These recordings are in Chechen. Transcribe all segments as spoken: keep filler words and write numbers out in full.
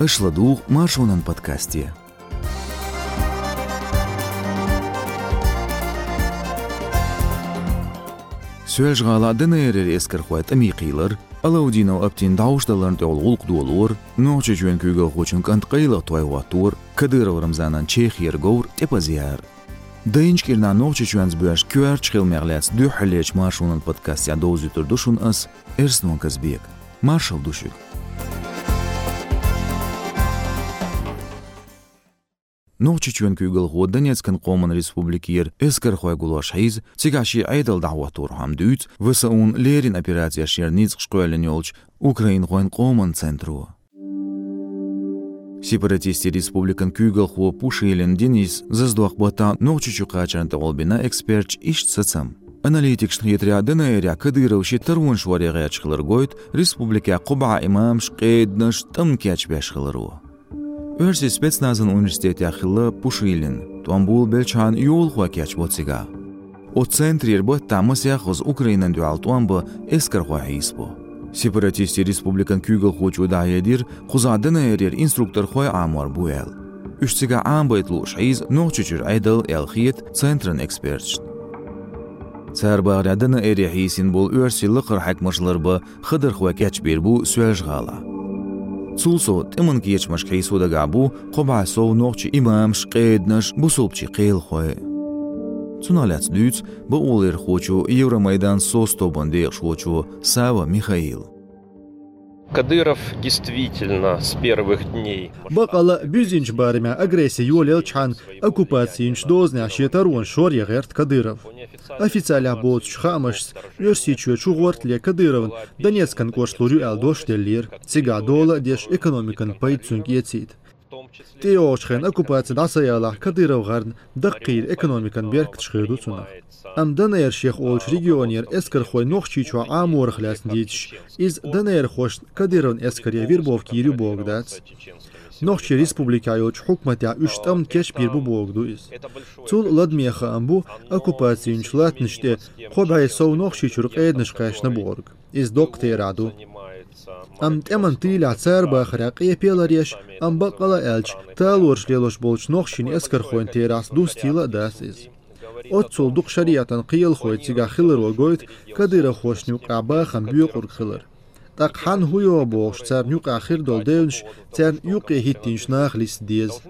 Аша ладугӀу Маршонан подкасте. Соьлжа-ГӀалахь ДНР-ера эскархой тӀаме кхийлар, Алаудинов Аптин дӀовш даларна тӀехула гӀуллакх долор, Нохчийчоьнан куьйгалхочун кӀант къайлаха той хӀоттор, Кадыров Рамзанан Чехера говр тӀепаза яр. Дайначу кӀирнахь Нохчийчоьнца боьрша коьртачу хиламех лаьцна дуьххьарлечу Маршонан подкастехь довзуьйтур ду шуна ас, Эрснон Казбека. Маршалла ду шуьга. Нохчийчоьнан куьйгалхо Донецкан Къоман Республикера эскархой гулош хьийза, цигахь шен Ӏедал дӀахӀотторхьама дуьйцу ВСУ-н леррина операцешкара ницкъаш кхоьллина йолчу украинхойн къоман центро. Сепаратистийн республикан куьйгалхо Пушилин Денис зазадоккху баттахь Нохчийчу кхачарна тӀехула бина эксперташа иштта сацам. Аналитикашна хетарехь, ДНР-ехь Кадыров шен таронаш варе гӀерташ хилар гойту республикехь кхо бӀе имамаш, къеданаш, тӀамна кечбеш хиларо. Оьрсийн спецназан университетехь хилла Пушилин, тӀом болабелчхьана йолахой кечбо цигахь. Оцу центрера баттахь масех хаза Украинана дуьхьал тӀом бан эскархой хьийсабо. Сепаратистийн республикан куьйгалхочо дӀахьедира, кхузахь ДНР-ера инструкторхой Ӏамор бу аьлла. Уьш цигахь Ӏамабайта лууш хьийза Нохчийчуьра Ӏедал аьлла хета центран эксперташна. Цара бахарехь, ДНР-е хьийсина болу оьрсийн лакхара хьаькамаш ларбан хадархой кечбийр бу Соьлжа-ГӀалахь. Цул сов, тӀеман кечамашка хьийсо дагахь бу кхо бӀе сов нохчийн имамаш, къеданаш, бусалбачийн кхелахой. Цунах лаьцна дуьйцу бакъоларъярхочо, Евромайдан соцтобан декъашхочо Савва Михаила. Кадыров действительно с первых дней. Бакъала, буьззинчу барамехь агресси йолаелчхьана оккупаци йинчу дозанехь шен таронаш варе гӀерта Кадыров. Официалехь боцучу хаамашца, Оьрсийчоь чугӀортале Кадыровна Донецкан кӀошталур ю аьлла дош деллера, цигахь дола а деш, экономикан пайда цуьнга эцийта. ТӀейогӀучу хенахь оккупаци дӀа ца ялахь, Кадыров гӀарна даккхийра экономикан беркаташ хир ду цунах. Амма ДНР шех олучу регионера эскархой Нохчийчохь Ӏаморах лаьцна дийцича, иза ДНР-хошна Кадыровн эскаре вербовка йийр ю бохург дац. Нохчийн республикехь йолчу хьукматехь уьш тӀамна кечбийр бу бохург ду иза. Цул ладаме хаам бу оккупаци йинчу латтанаш тӀе кхо бӀе сов Нохчийчуьра къеданаш кхаьчна бохург. Иза доккха терахь ду. Амма тӀеман тӀийлехь цара бахарехь къепе ларъеш, амма баккъала а аьлча, талораш лелош болчу нохчийн эскархойн терахьца дустийла а дац иза. Оццул дукха шариӀатан кхелахой цигахь хиларо гойту Кадыровхошна юкъахь бахам боькъург хилар. ТӀаккха хьанна хӀун йогӀу бохуш, царна юкъахь хир долу девнаш царна юккъе хӀиттийначу наха листа деза.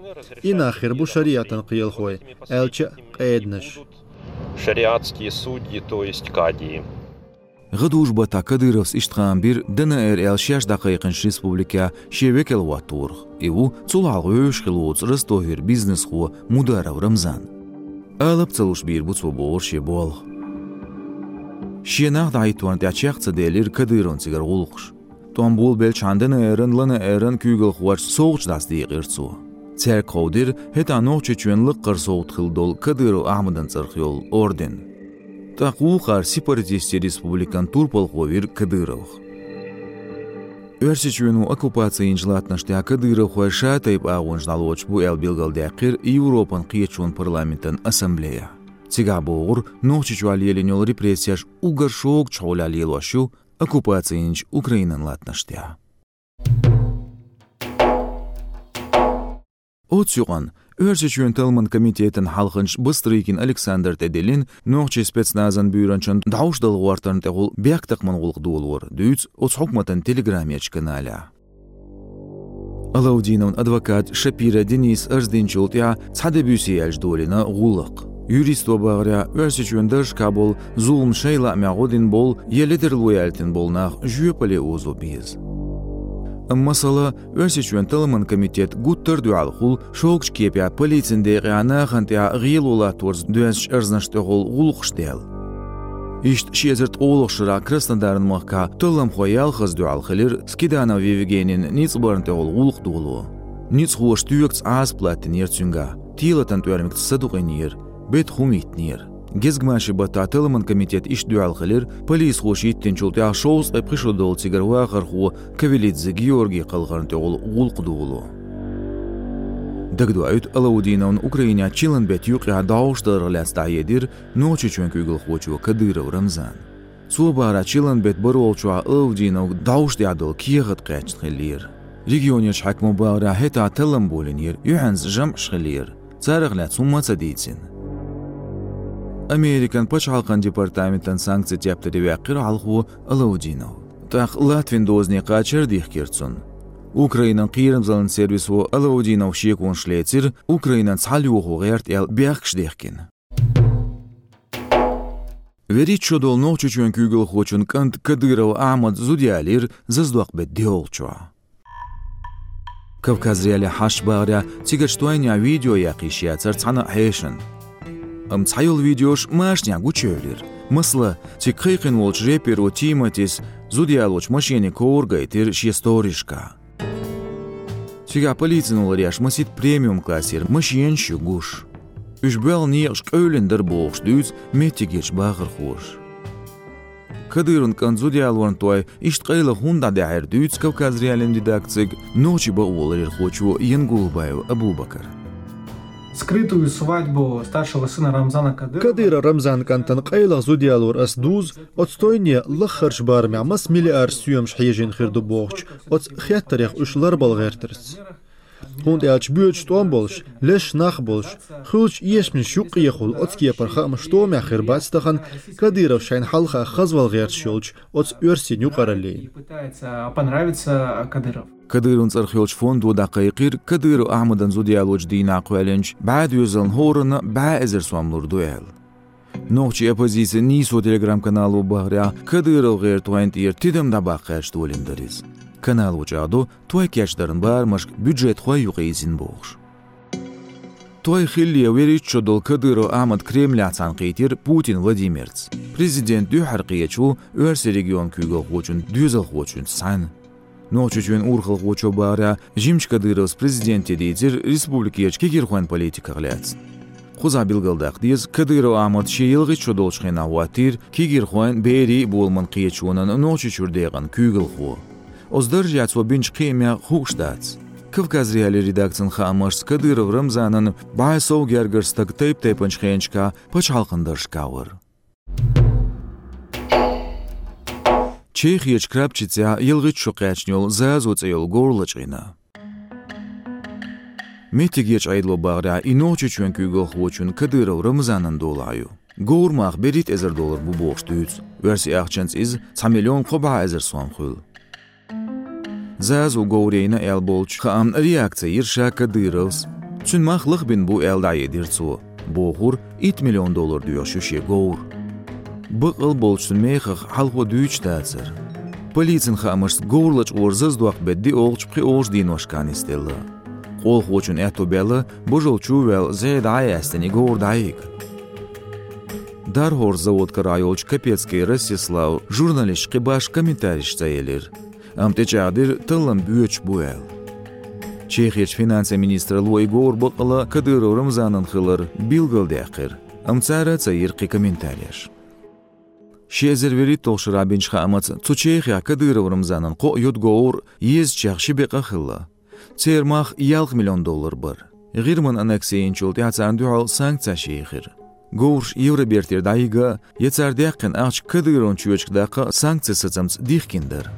И нах хир бу шариӀатан кхелахой, аьлча а къеданаш. Шариатские судьи, то есть кадии. ГӀадужу баттахь Кадыровс иштта хаам бира ДНР аьлла шаьш дӀакхайкхинчу республикехь шен векал хӀоттарх. И ву цул хьалха вевзаш хилла воцу Ростовера бизнесхо Мударов Рамзан. Алап ца луш бийр бу цо бохура шен болх. Шен нах дӀахӀитторна тӀехь чекх ца делира Кадыровн цигара гӀуллакхаш. ТӀом болабелчхьана ДНР-ан, ЛНР-ан куьйгалхоша совгӀаташ дӀасадекъира цо. Цаьрга кховдийра хӀетахь Нохчийчоьнан лаккхара совгӀат хилла долу Кадыров Ахьмадан цӀарах йолу орден. ТӀаккха вукхара сепаратистийн республикан турпалхо вира Кадыровх. Оьрсийчоьно оккупаци йинчу латтанаш тӀехь кадыровхой шатайпа агӀонаш дӀалоцуш бу аьлла билгалдаьккхира Европан кхеташонан парламентан ассамблеяхь. Цигахь бохура, Нохчийчохь лелийна йолу репрессеш уггар шогачу хьолехь лелош ю оккупаци йинчу Украинан латтанаш тӀехь. Оцу юкъанна Оьрсийчоьнан талламан комитетан хьалханча Бастрыкин Александра тӀедиллина нохчийн спецназан буьйранчан дӀовш дала гӀортарна тӀехула бехктакхаман гӀуллакх долор, дуьйцу оцу хьукматан телеграмерчу каналехь. Алаудиновн адвокат Шапира Денис арз динчул тӀаьхьа цхьа де-буьйса яьлча долийна гӀуллакх. Юристо бахарехь, Оьрсийчоьнан даржашкахь болу зулам шайн лаамехь гӀо дина болу я ледарло яьлтина болу нах жоьпалле озо беза. Амма масала, Оьрсийчоьнан талламан комитет гуттар а дуьхьал хуьлу шогачу кепехь полицин декъехь нахана тӀехь гӀело латторца доьзначу арзнаш тӀехула гӀуллакхаш дала. Иштта ши эзар ткъолгӀачу шарахь Краснодаран махкахь талламхой ялхазза дуьхьал хилира Скиданов Евгенин ницкъ барна тӀехула гӀуллакх доло. Ницкъахоша тоьгца Ӏазап латтийнера цуьнгахь, телатан тӀоьрмигца садукъийнера, бета хӀума йиттинера. Гезгмашин баттахь талламан комитет иштта дуьхьал хилира, полисхоша йиттинчул тӀаьхьа шовзткъе пхи шо долу цигара вахархо Кавелидзе Георгий кхалхарна тӀехула гӀуллакх доло. Дагадоуьйту, Алаудиновна Украинехь чиллан беттан юкъехь дӀовш дарах лаьцна дӀахьедира Нохчийчоьнан куьйгалхочо Кадыров Рамзана. Цо бахарехь, чиллан беттан бархӀолгӀачохь Алаудиновга дӀовш тӀехь долу кехат кхаьчна хиллера. Регионерчу хьаькамо бахарехь, хӀетахь таллам болийнера, юьхьанца жамӀаш хиллера. Царах лаьцна хӀумма а ца дийцина. Американ пачхьалкхан департаментан санкцийн тептаре ваьккхира хьалхо Алаудинов. ТӀаккха Латвин дозане кхачар а дихкира цунна. Украинан кхерамзаллин сервисо Алаудинов шеконаш лецира, Украинан цхьалйохо гӀерта аьлла бехкаш дихкина. ВуьрхӀитта шо долу Нохчийчоьнан куьйгалхочун кӀант Кадыров Ахьмад зуда ялийра зазадоккху беттан диъолгӀачохь. Кавказ.Реалиин хьашташ бахарехь, цигарчу тойнехь видео яккха йиш яцара цхьана а хьешана. Амма цхьайолу видеош машанехь гучуевлира. Масала, цига кхайкхина волчу рэперо Тиматис зуда ялочу машенин ковра гайтира шен сторисашкахь. Цигахь полицин уллехь еш масийтта премиум классера машенаш ю гуш. Уьш боьлху некъаш къевлина дара бохуш дуьйцу меттигерчу бахархоша. Кадыровн кӀант зуда ялорна той иштта къайлаха хӀунда дӀадаьхьира дуьйцу Кавказ.Реалиин редакцига нохчийн бакъоларъярхочо Янгулбаев Абубакара. Скрытую свадьбу старшего сына Рамзана Кадырова. Кадыров Рамзанан кӀантана къайлаха зуда ялор ас дузу, оцу тойне лаххарчу барамехь маса миллиард соьмаш хьежийна хир ду бохучу оцу хеттарех уьш ларбала гӀертарца. ХӀунда аьлча боьдуш тӀом болуш, леш нах болуш, хуьлучу эшамаш юккъехула оцу кепара хаамаш тӀомехь хир бац тахана Кадыровс шайна хьалха хезвала гӀерташ йолчу оцу оьрсийн юкъараллина. Пытается понравиться Кадыров. Кадыровн цӀарах йолчу фондо дӀакхайкхийра Кадыров Ахьмадан зуда ялочу дийнахь кхоьллинчу бӀе доьзална хӀоранна бӀе эзар сом лур ду аьлла. Нохчийн оппозицин «Нийсо» телеграм-канало бахарехь, Кадыров гӀертойн тӀера тидам дӀабаккха гӀерташ долийна дара иза. Канало чӀагӀдо, той кечдаран барамашка бюджетхой юкъайирзина бохуш. Той хиллале вуьрхӀитта шо долу Кадыров Ахьмад Кремлехь цхьаьнакхийтира Путин Владимирца. Президент дуьххьара кхеташ ву оьрсийн регионан куьйгалхочун доьзалхочуьнца цхьаьна. Нохчийчоьнан урхалхочо бахарехь, жимачу Кадыровс президенте дийцира республикерчу кегийрхойн политиках лаьцна. Кхузахь билгалдаккха деза, Кадыров Ахьмад шен ялхитта шо долчу хенахь хӀоттийра кегийрхойн, берийн боламан кхеташонан Нохчийчуьра декъан куьйгалхо. Оцу даржехь цо бинчу кхиамех хууш дац. Кавказ.Реалиин редакцин хаамашца, Кадыров Рамзанан бӀе сов гергара стаг тайп-тайпанчу хенашкахь пачхьалкхан даржашкахь вара. Чехерчу Крапчицехь ялхитта шо кхаьчна йолу «Зазу» цӀе йолу говр лачкъийна. Меттигерчу Ӏедало бахарехь, и Нохчийчоьнан куьйгалхочун Кадыров Рамзанан долахь ю. Говран мах берхӀитта эзар доллар бу бохуш дуьйцу оьрсийн ахчанца иза цхьа миллион кхо бӀе эзар сом хуьлу. «Зазу» говр йайна аьлла болчу хаамна реакци йира ша Кадыровс. Цуьнан мах лахбина бу аьлла дӀахьедира цо. Бохура, итт миллион доллар доьхуш ю шен говр. Баккъал болчу цуьнан мехах хьалхо дуьйцуш дацара. Полицин хаамашца, говр лачкъор зазадоккху беттан диъолгӀачу, пхоьалгӀачу деношкахь нисделла. Къолхочун аьтто баьлла, божал чу а ваьлла, зӀе дӀа а яьстина, и говр дӀайига. ДархӀорсу завод карахь йолчу Капецкий Ростислав журналисташка кхин башха комментареш ца елира. Амма тӀечӀагӀдира, таллам боьдуш бу аьлла. Чехерчу финансийн министралло и говр баккъала Кадыров Рамзанан хилар билгалдаьккхира, амма цара а ца йира кхин комментареш. Ши эзар вуьрхӀитталгӀачу шарахь бинчу хаамца, цу Чехехь Кадыров Рамзанан кхоъ йодуговр езачех ши бекъа хилла. Церан мах ялх миллион доллар бара. ГӀирман аннекси йинчул тӀаьхьа царна дуьхьал санкцеш йийхира. Говраш Евробертера дӀайига а, я цара даьккхина ахча Кадыровн чоьчуьнга даккха а санкцийн сацамца дихкина дара.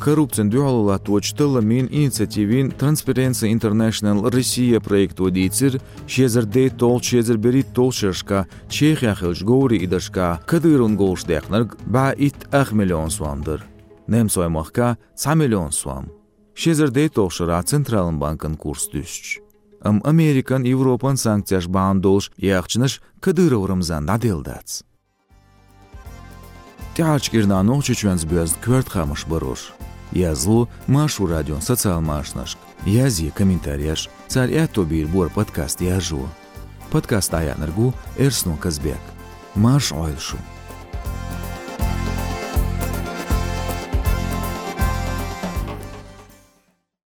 Коррупцина дуьхьало латточу талламийн инициативин Transparency International Россия проекто дийцира, ши эзар дейтталгӀачу, ши эзар берхӀитталгӀачу шерашкахь Чехехь хиллачу говрийн идаршкахь Кадыровн говраш даьккхинарг бӀе итт ах миллион сом дара, немцойн махкахь цхьа миллион сом. Ши эзар дейтталгӀачу шарахь Централан банкан курс дуьстича. Амма Американ, Европан санкцеш бахьана долуш и ахчанаш Кадыров Рамзанна дӀаделла дац. ТӀаьхьарчу кӀирнахь Нохчийчоьнца боьзна коьрта хаамаш барош, язло Маршо радион социал машанашка, язъе комментареш, цара аьтто бийр бора подкаст яржо. Подкаст дӀаяьхьнарг ву Эрсно Казбек. Марша Ӏойла шу!